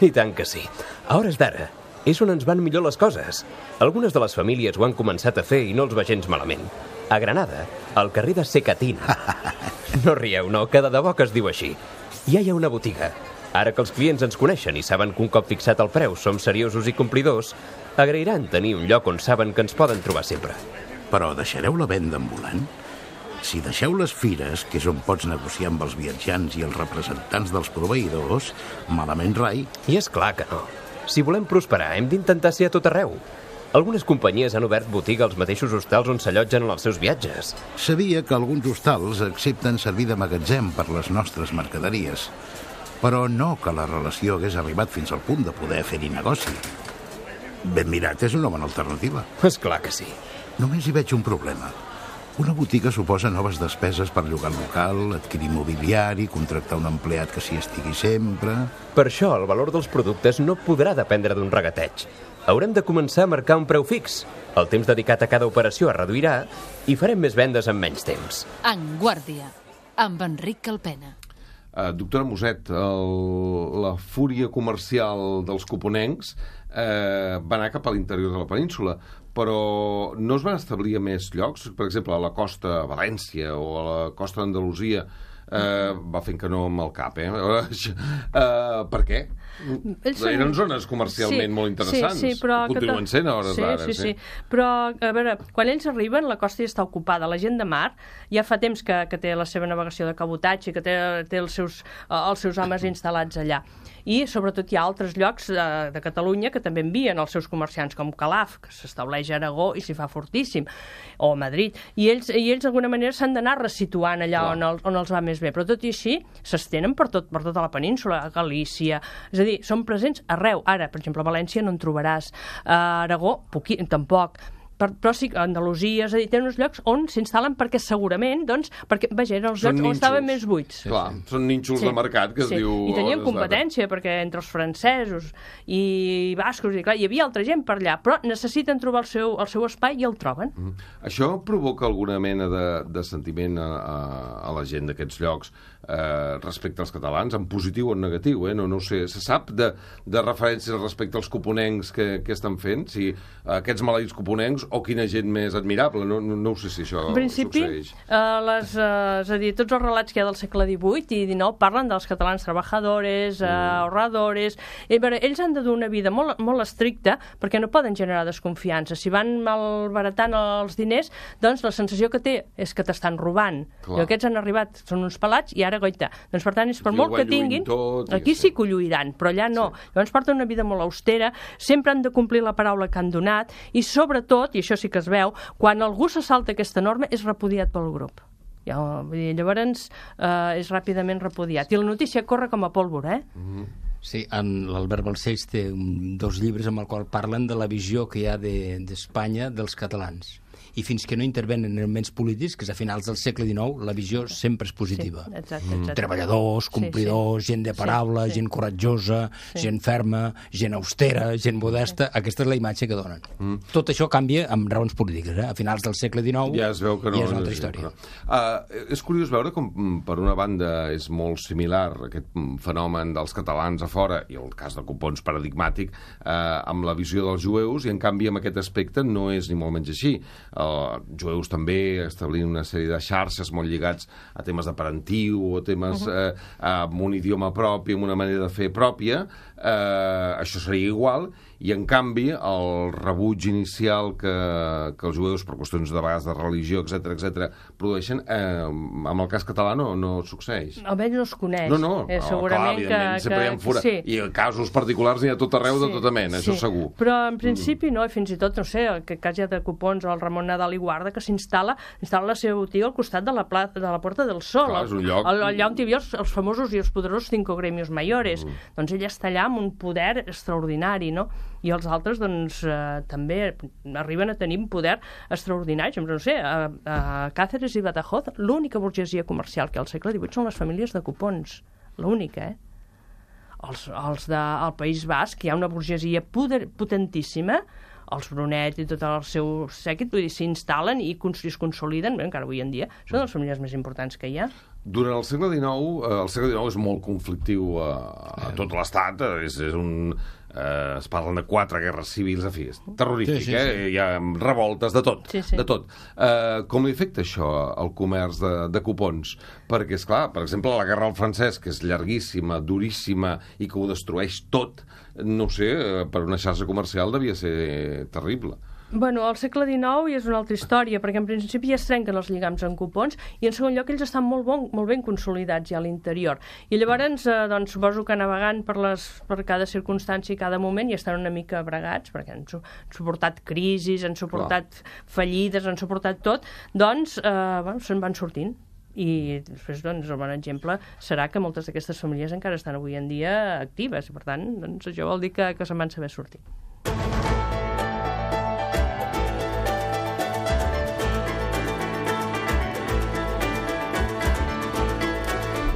I tant que sí. A hores d'ara és on ens van millor les coses. Algunes de les famílies ho han començat a fer i no els va gens malament. A Granada, al carrer de Secatina. No rieu, no, que de debò que es diu així. Ja hi ha una botiga. Ara que els clients ens coneixen i saben que un cop fixat el preu som seriosos i complidors, agrairan tenir un lloc on saben que ens poden trobar sempre.
Però deixareu la venda ambulant? Si deixeu les fires, que és on pots negociar amb els viatjants i els representants dels proveïdors, malament rai.
I és clar que no. Si volem prosperar, hem d'intentar ser a tot arreu. Algunes companyies han obert botiga als mateixos hostals on s'allotgen en els seus viatges.
Sabia que alguns hostals accepten servir de magatzem per les nostres mercaderies, però no que la relació hagués arribat fins al punt de poder fer-hi negoci. Ben mirat, és una bona alternativa.
És clar que sí.
Només hi veig un problema. Una botiga suposa noves despeses per llogar el local, adquirir mobiliari, contractar un empleat que s'hi estigui sempre...
Per això el valor dels productes no podrà dependre d'un regateig. Haurem de començar a marcar un preu fix. El temps dedicat a cada operació es reduirà i farem més vendes en menys temps.
En Guàrdia, amb Enric Calpena.
Doctora Muset, la fúria comercial dels coponencs va anar cap a l'interior de la península, però no es van establir a més llocs? Per exemple, a la costa a València o a la costa d'Andalusia va fent que no amb el cap, per què? Eren zones comercialment molt interessants.
Sí, però
continuen sent a hores d'ara.
Sí. Però, a veure, quan ells arriben, la costa ja està ocupada. La gent de mar ja fa temps que té la seva navegació de cabotatge, que té els seus homes instal·lats allà. I, sobretot, hi ha altres llocs de Catalunya que també envien els seus comerciants, com Calaf, que s'estableix a Aragó i s'hi fa fortíssim, o a Madrid. I ells d'alguna manera, s'han d'anar resituant allà on els va més bé. Però tot i així, s'estenen per tota la península, a Galícia. És a dir, són presents arreu. Ara, per exemple, a València no en trobaràs. A Aragó, tampoc. Però sí que Andalusia, és a dir, té uns llocs on s'instal·len perquè segurament, doncs, perquè, vaja, eren els llocs on estaven més buits.
Clar, són nínxols de mercat, que es diu...
I tenien competència, perquè entre els francesos i bascos, i clar, hi havia altra gent per allà, però necessiten trobar el seu espai i el troben.
Això provoca alguna mena de sentiment a la gent d'aquests llocs respecte als catalans, en positiu o en negatiu, no ho sé. Se sap de referències respecte als coponencs que estan fent? Si aquests maleïts coponencs o quina gent més admirable, no ho sé si això succeeix.
És a dir, tots els relats que hi ha del segle XVIII i XIX parlen dels catalans trabajadores, ahorradores... Ells han de dur una vida molt, molt estricta perquè no poden generar desconfiança. Si van malbaratant els diners, doncs la sensació que té és que t'estan robant. I aquests han arribat, són uns pelats i ara, goita. Doncs per tant, és per molt que tinguin, aquí sí que ho lluiran, però allà no. Llavors porten una vida molt austera, sempre han de complir la paraula que han donat i sobretot, i això sí que es veu, quan algú se salta aquesta norma és repudiat pel grup. Llavors és ràpidament repudiat. I la notícia corre com a pólvora,
Sí, l'Albert Balcells té 2 llibres amb el qual parlen de la visió que hi ha d'Espanya dels catalans. i fins que no intervenen elements polítics, que és a finals del segle XIX, la visió sempre és positiva.
Sí, exacte.
Treballadors, complidors, gent de paraula, gent coratjosa, gent ferma, gent austera, gent modesta. Aquesta és la imatge que donen. Tot això canvia amb raons polítiques. A finals del segle XIX
ja es veu que
ja és una altra història.
És curiós veure com, per una banda, és molt similar aquest fenomen dels catalans a fora, i el cas de Copons paradigmàtic, amb la visió dels jueus, i en canvi amb aquest aspecte no és ni molt menys així. Jueus també establint una sèrie de xarxes molt lligats a temes de parentiu o temes amb un idioma propi, amb una manera de fer pròpia. Això seria igual, i en canvi el rebuig inicial que els jueus, per qüestions de vegades de religió, etc produeixen, amb el cas català no succeeix.
Almenys no es coneix.
No,
segurament
clar, sempre hi ha fora.
Sí.
I casos particulars n'hi ha tot arreu de tota mena, això segur.
Però en principi no, i fins i tot, no sé, el cas ja de Copons o el Ramon Nadal i Guarda, que instal·la la seva botiga al costat de la Puerta del Sol.
Clar, és un lloc.
El lloc on hi havia els famosos i els poderosos 5 gremios mayores. Doncs ell està allà amb un poder extraordinari, no? I els altres, doncs, també arriben a tenir un poder extraordinari. No sé, a Cáceres i Badajoz, l'única burgesia comercial que al segle XVIII són les famílies de Copons. L'única, Els del País Basc, hi ha una burgesia potentíssima, els Brunet i tot el seu sèquit, vull dir, s'instal·len i es consoliden, encara avui en dia, són les famílies més importants que hi ha.
Durant el segle XIX és molt conflictiu a tot l'Estat, es parlen de 4 guerres civils, en fi, és terrorífic, hi ha revoltes de tot, de tot. Com li afecta això al comerç de cupons? Perquè, esclar, per exemple, la guerra al francès, que és llarguíssima, duríssima i que ho destrueix tot, no sé, per una xarxa comercial devia ser terrible.
Bueno, al segle XIX és una altra història, perquè en principi ja es trenquen els lligams en cupons i en segon lloc ells estan molt ben consolidats ja a l'interior. I llavors, doncs, suposo que navegant per cada circumstància i cada moment i estan una mica bregats, perquè han suportat crisis, han suportat fallides, han suportat tot, doncs se'n van sortint. I després, doncs, el bon exemple serà que moltes d'aquestes famílies encara estan avui en dia actives i, per tant, doncs, això vol dir que se'n van saber sortir.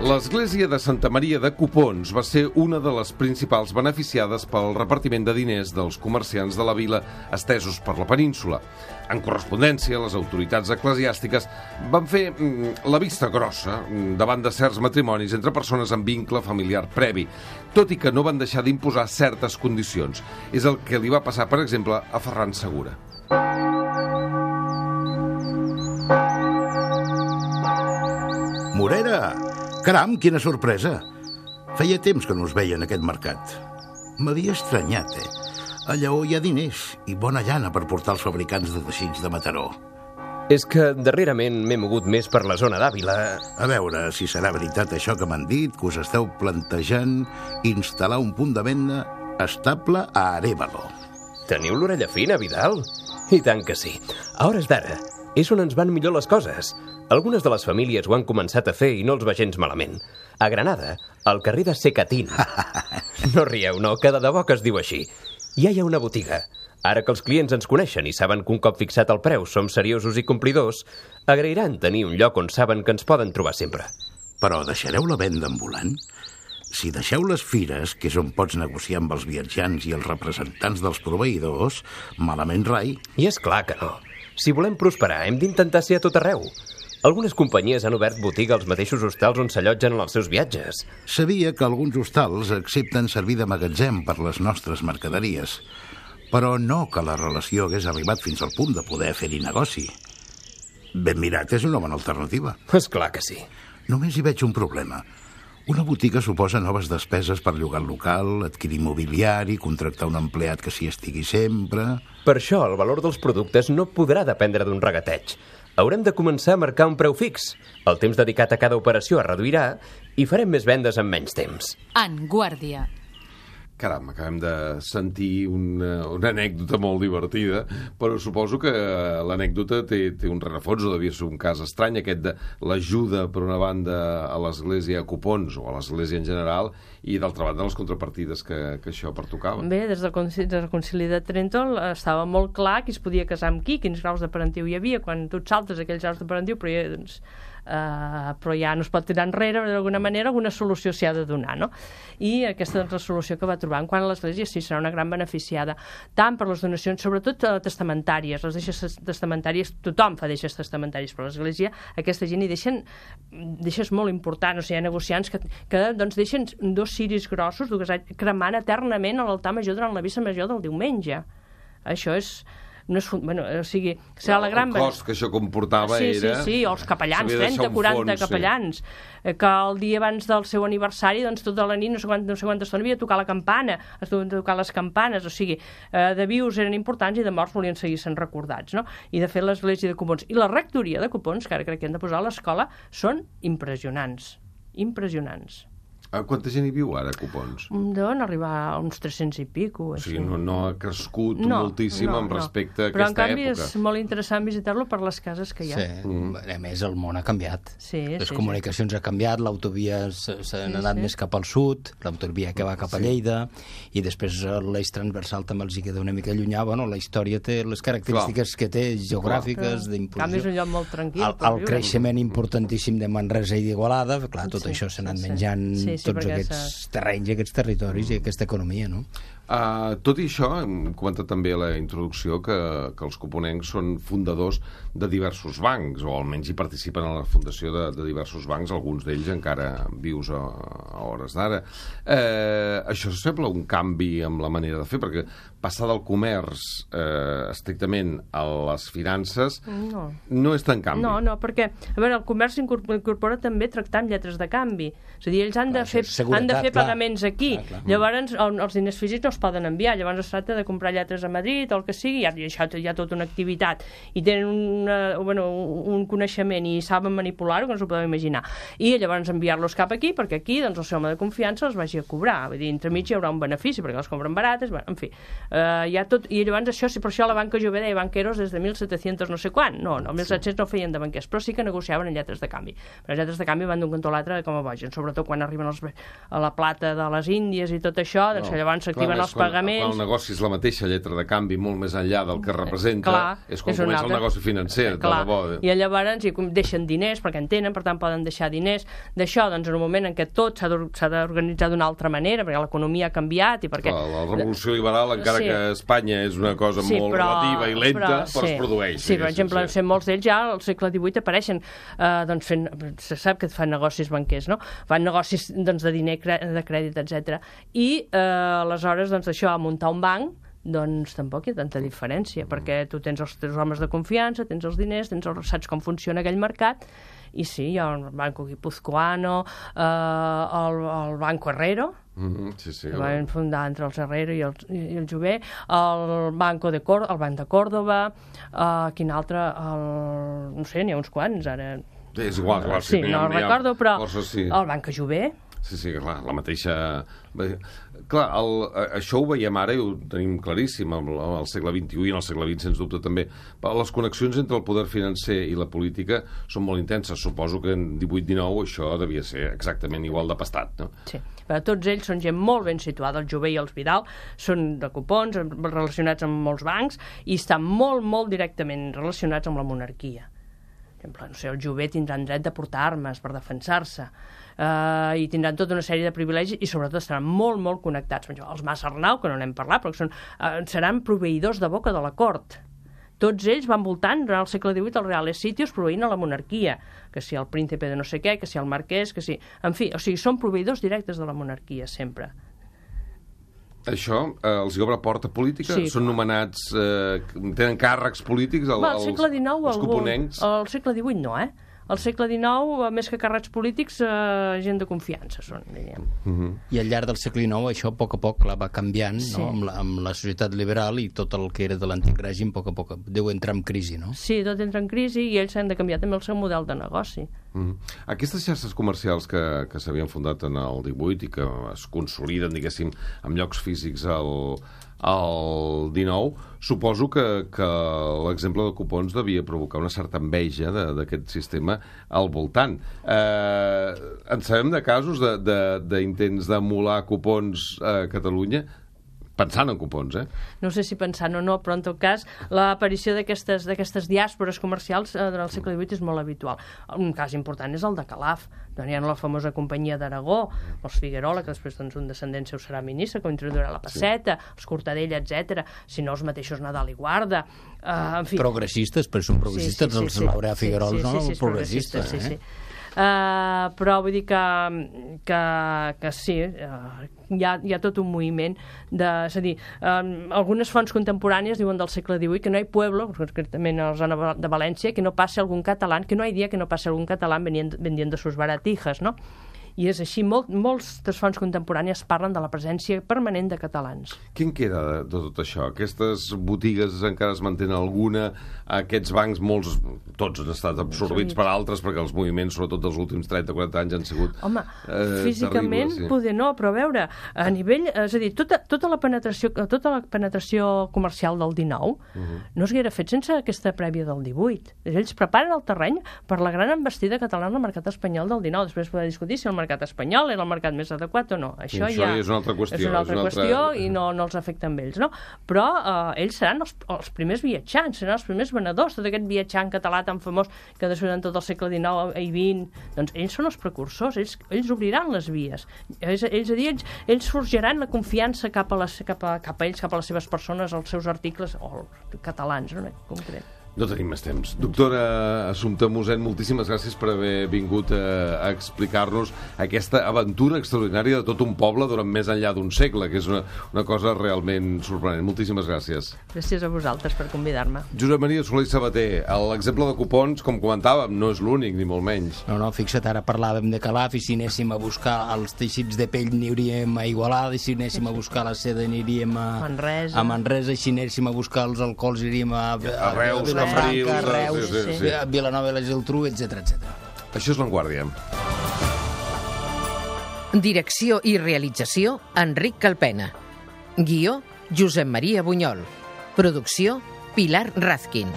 L'església de Santa Maria de Copons va ser una de les principals beneficiades pel repartiment de diners dels comerciants de la vila estesos per la península. En correspondència, les autoritats eclesiàstiques van fer la vista grossa davant de certs matrimonis entre persones amb vincle familiar previ, tot i que no van deixar d'imposar certes condicions. És el que li va passar, per exemple, a Ferran Segura.
Morera! Caram, quina sorpresa! Feia temps que no us veia en aquest mercat. M'havia estranyat, A Lleó hi ha diners i bona llana per portar els fabricants de teixits de Mataró.
És que darrerament m'he mogut més per la zona d'Àvila.
A veure si serà veritat això que m'han dit, que us esteu plantejant instal·lar un punt de venda estable a Arévalo.
Teniu l'orella fina, Vidal? I tant que sí. A hores d'ara és on ens van millor les coses. Algunes de les famílies ho han començat a fer i no els va gens malament. A Granada, al carrer de Secatín. No rieu, no, que de debò que es diu així. Ja hi ha una botiga. Ara que els clients ens coneixen i saben que un cop fixat el preu som seriosos i complidors, agrairan tenir un lloc on saben que ens poden trobar sempre.
Però deixareu la venda ambulant? Si deixeu les fires, que és on pots negociar amb els viatjants i els representants dels proveïdors, malament rai.
I és clar que no. Si volem prosperar, hem d'intentar ser a tot arreu. Algunes companyies han obert botiga als mateixos hostals on s'allotgen en els seus viatges.
Sabia que alguns hostals accepten servir de magatzem per les nostres mercaderies, però no que la relació hagués arribat fins al punt de poder fer-hi negoci. Ben mirat, és una bona alternativa.
És clar que sí.
Només hi veig un problema. Una botiga suposa noves despeses per llogar el local, adquirir mobiliari, contractar un empleat que s'hi estigui sempre...
Per això el valor dels productes no podrà dependre d'un regateig. Haurem de començar a marcar un preu fix. El temps dedicat a cada operació es reduirà i farem més vendes en menys temps.
En Guàrdia.
Caram, acabem de sentir una anècdota molt divertida, però suposo que l'anècdota té un rerefons, o devia ser un cas estrany, aquest de l'ajuda, per una banda, a l'Església a Copons, o a l'Església en general, i d'altra banda les contrapartides que això pertocava.
Bé, des del Concili de Trento estava molt clar qui es podia casar amb qui, quins graus de parentiu hi havia, quan tu et saltes aquells graus de parentiu, però ja no es pot tirar enrere, d'alguna manera alguna solució s'hi ha de donar, no? I aquesta és la solució que va trobar. En quant a l'Església, sí, serà una gran beneficiada, tant per les donacions, sobretot testamentàries, les deixes testamentàries, tothom fa deixes testamentàries, però l'Església, aquesta gent hi deixes molt important, o sigui, hi ha negociants que doncs deixen 2 ciris grossos cremant eternament a l'altar major durant la missa major del diumenge. Això és... No és, bueno, o sigui, serà la gran...
El cost que això comportava era...
Sí, els capellans, 30, 40 capellans, que el dia abans del seu aniversari, doncs tota la nit, no sé quanta estona, havia de tocar la campana, es deuen tocar les campanes, o sigui, de vius eren importants i de morts volien seguir sent recordats, no? I de fet l'Església de Copons i la rectoria de Copons, que ara crec que hem de posar a l'escola, són impressionants.
Quanta gent hi viu ara a Copons?
Deuen arribar a uns 300 i pico.
O sigui, no ha crescut moltíssim respecte a aquesta època.
Però en canvi és molt interessant visitar-lo per les cases que hi ha.
Sí, a més el món ha canviat. Les comunicacions han canviat, l'autovia s'han anat més cap al sud, l'autovia que va cap a Lleida, i després l'eix transversal també els hi queda una mica llunyà. Bueno, la història té les característiques que té, geogràfiques, d'imposició.
En canvi és un lloc molt tranquil.
El creixement importantíssim de Manresa i d'Igualada, clar, tot això s'ha anat menjant tots aquests terrenys, aquests territoris i aquesta economia, no?
Tot i això, hem comentat també a la introducció que els coponencs són fundadors de diversos bancs, o almenys hi participen en la fundació de diversos bancs, alguns d'ells encara vius a hores d'ara. Això sembla un canvi amb la manera de fer, perquè passar del comerç estrictament a les finances no és tan canvi.
No, perquè, a veure, el comerç incorpora també tractar amb lletres de canvi. És a dir, ells han de fer pagaments aquí. Llavors, els diners físics no es poden enviar. Llavors es tracta de comprar lletres a Madrid o el que sigui, i això hi ha tota una activitat. I tenen un coneixement i saben manipular-ho, que no s'ho podem imaginar. I llavors enviar-los cap aquí, perquè aquí el seu home de confiança els vagi a cobrar. Vull dir, entremig hi haurà un benefici, perquè els compren barates, en fi. Hi ha tot, i llavors això, per això la banca jove deia banqueros des de 1700 no sé quan. No, el 1700 no feien de banquers, però sí que negociaven en lletres de canvi. Però les lletres de canvi van d'un cantó a l'altre com a bogen, sobretot quan arriben a la plata de les Índies i tot això, doncs llavors s'activen els pagaments.
Quan el negoci és la mateixa lletra de canvi molt més enllà del que representa, és quan comença el negoci financer, de debò.
I llavors deixen diners, perquè en tenen, per tant poden deixar diners. D'això, doncs, en un moment en què tot s'ha d'organitzar d'una altra manera, perquè l'economia ha canviat i perquè...
La revolució liberal, encara que Espanya és una cosa molt relativa i lenta, però es produeix.
Sí, per exemple, molts d'ells ja al segle XVIII apareixen fent... Se sap que fan negocis banquers, no? Fan negocis de diner, de crèdit, etc. I aleshores, doncs, això, a muntar un banc, doncs tampoc hi ha tanta diferència, perquè tu tens els teus homes de confiança, tens els diners, saps com funciona aquell mercat, i sí, hi ha el Banco Guipuzcoano, el Banco Herrero, que van fundar entre els Herrero i el Jové, el Banc de Córdoba, quin altre, no sé, n'hi ha uns quants, ara...
És igual,
sí, no recordo, però el Banc Jové...
Sí, clar, la mateixa... Clar, això ho veiem ara i ho tenim claríssim al segle XXI i en el segle XX, sens dubte, també. Les connexions entre el poder financer i la política són molt intenses. Suposo que en 18-19 això devia ser exactament igual de pastat, no?
Sí, però tots ells són gent molt ben situada. El Jové i els Vidal són de Copons, relacionats amb molts bancs, i estan molt, molt directament relacionats amb la monarquia. Per exemple, no sé, el Jové tindran dret de portar armes per defensar-se, i tindran tota una sèrie de privilegis i sobretot estaran molt, molt connectats. Els Mas Arnau, que no n'hem parlat, però seran proveïdors de boca de la cort. Tots ells van voltant durant el segle XVIII als reales sitios proveint a la monarquia, que si el príncipe de no sé què, que si el marquès, que si... En fi, o sigui, són proveïdors directes de la monarquia, sempre.
Això els hi obre porta política? Sí, són nomenats... tenen càrrecs polítics els coponencs?
Al segle XVIII no, Al segle XIX, més que càrrecs polítics, gent de confiança són, diríem.
I al llarg del segle XIX això a poc va canviant, no? Amb la societat liberal, i tot el que era de l'antic règim a poc deu entrar en crisi, no?
Sí, tot entra en crisi i ells han de canviar també el seu model de negoci.
Aquestes xarxes comercials que s'havien fundat en el 18 i que es consoliden, diguéssim, amb llocs físics al 19, suposo que l'exemple de cupons devia provocar una certa enveja d'aquest sistema al voltant. En sabem de casos d'intents d'emular cupons a Catalunya? Pensant en cupons,
No sé si pensant o no, però en tot cas l'aparició d'aquestes diàspores comercials durant el segle XVIII és molt habitual. Un cas important és el de Calaf, on hi ha la famosa companyia d'Aragó, els Figuerola, que després un descendent seu serà ministre, que introduirà la Passeta, els Cortadella, etc. Si no, els mateixos Nadal i Guarda. En fi.
Progressistes, però són progressistes, els Laureà Figuerola són progressistes.
Sí. Però vull dir que sí, hi ha tot un moviment és a dir, algunes fonts contemporànies diuen del segle XVIII que no hi ha pueblo, concretament a la zona de València, que no passi algun català, que no hi ha dia que no passi algun català vendiendo sus baratijas, no? I és així, moltes fonts contemporànies parlen de la presència permanent de catalans.
Què en queda de tot això? Aquestes botigues encara es mantenen alguna? Aquests bancs, tots han estat absorbits per altres, perquè els moviments, sobretot dels últims 30-40 anys, han sigut
físicament terribles, poder no, però a veure, a nivell, és a dir, tota la penetració comercial del 19 no s'haguera fet sense aquesta prèvia del 18. Ells preparen el terreny per la gran embestida catalana al mercat espanyol del 19. Després podem discutir si el mercat espanyol era el mercat més adequat o no. Això ja
és una altra qüestió.
És una altra qüestió i no els afecta amb ells, no? Però ells seran els primers viatjants, seran els primers venedors, tot aquest viatjant català tan famós que després en tot el segle XIX i XX, doncs ells són els precursors, ells obriran les vies. Ells forjaran la confiança cap a ells, cap a les seves persones, als seus articles, o catalans, no? En concret.
No tenim més temps. Doctora Assumpta Mossèn, moltíssimes gràcies per haver vingut a explicar-nos aquesta aventura extraordinària de tot un poble durant més enllà d'un segle, que és una cosa realment sorprenent. Moltíssimes gràcies.
Gràcies a vosaltres per convidar-me.
Josep Maria Soler i Sabater, l'exemple de cupons, com comentàvem, no és l'únic, ni molt menys.
No, fixa't, ara parlàvem de Calaf, i si anéssim a buscar els teixits de pell aniríem a Igualada, i si anéssim a buscar la seda aniríem a Manresa, i si anéssim a buscar els alcohols iríem a
Reus,
Franca, Reus, Vilanova i la Geltrú, etc.
Això és Vanguardia.
Direcció i realització, Enric Calpena. Guió, Josep Maria Bunyol. Producció, Pilar Razkin.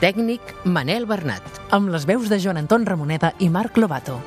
Tècnic, Manel Bernat.
Amb les veus de Joan Anton Ramoneda i Marc Lobato.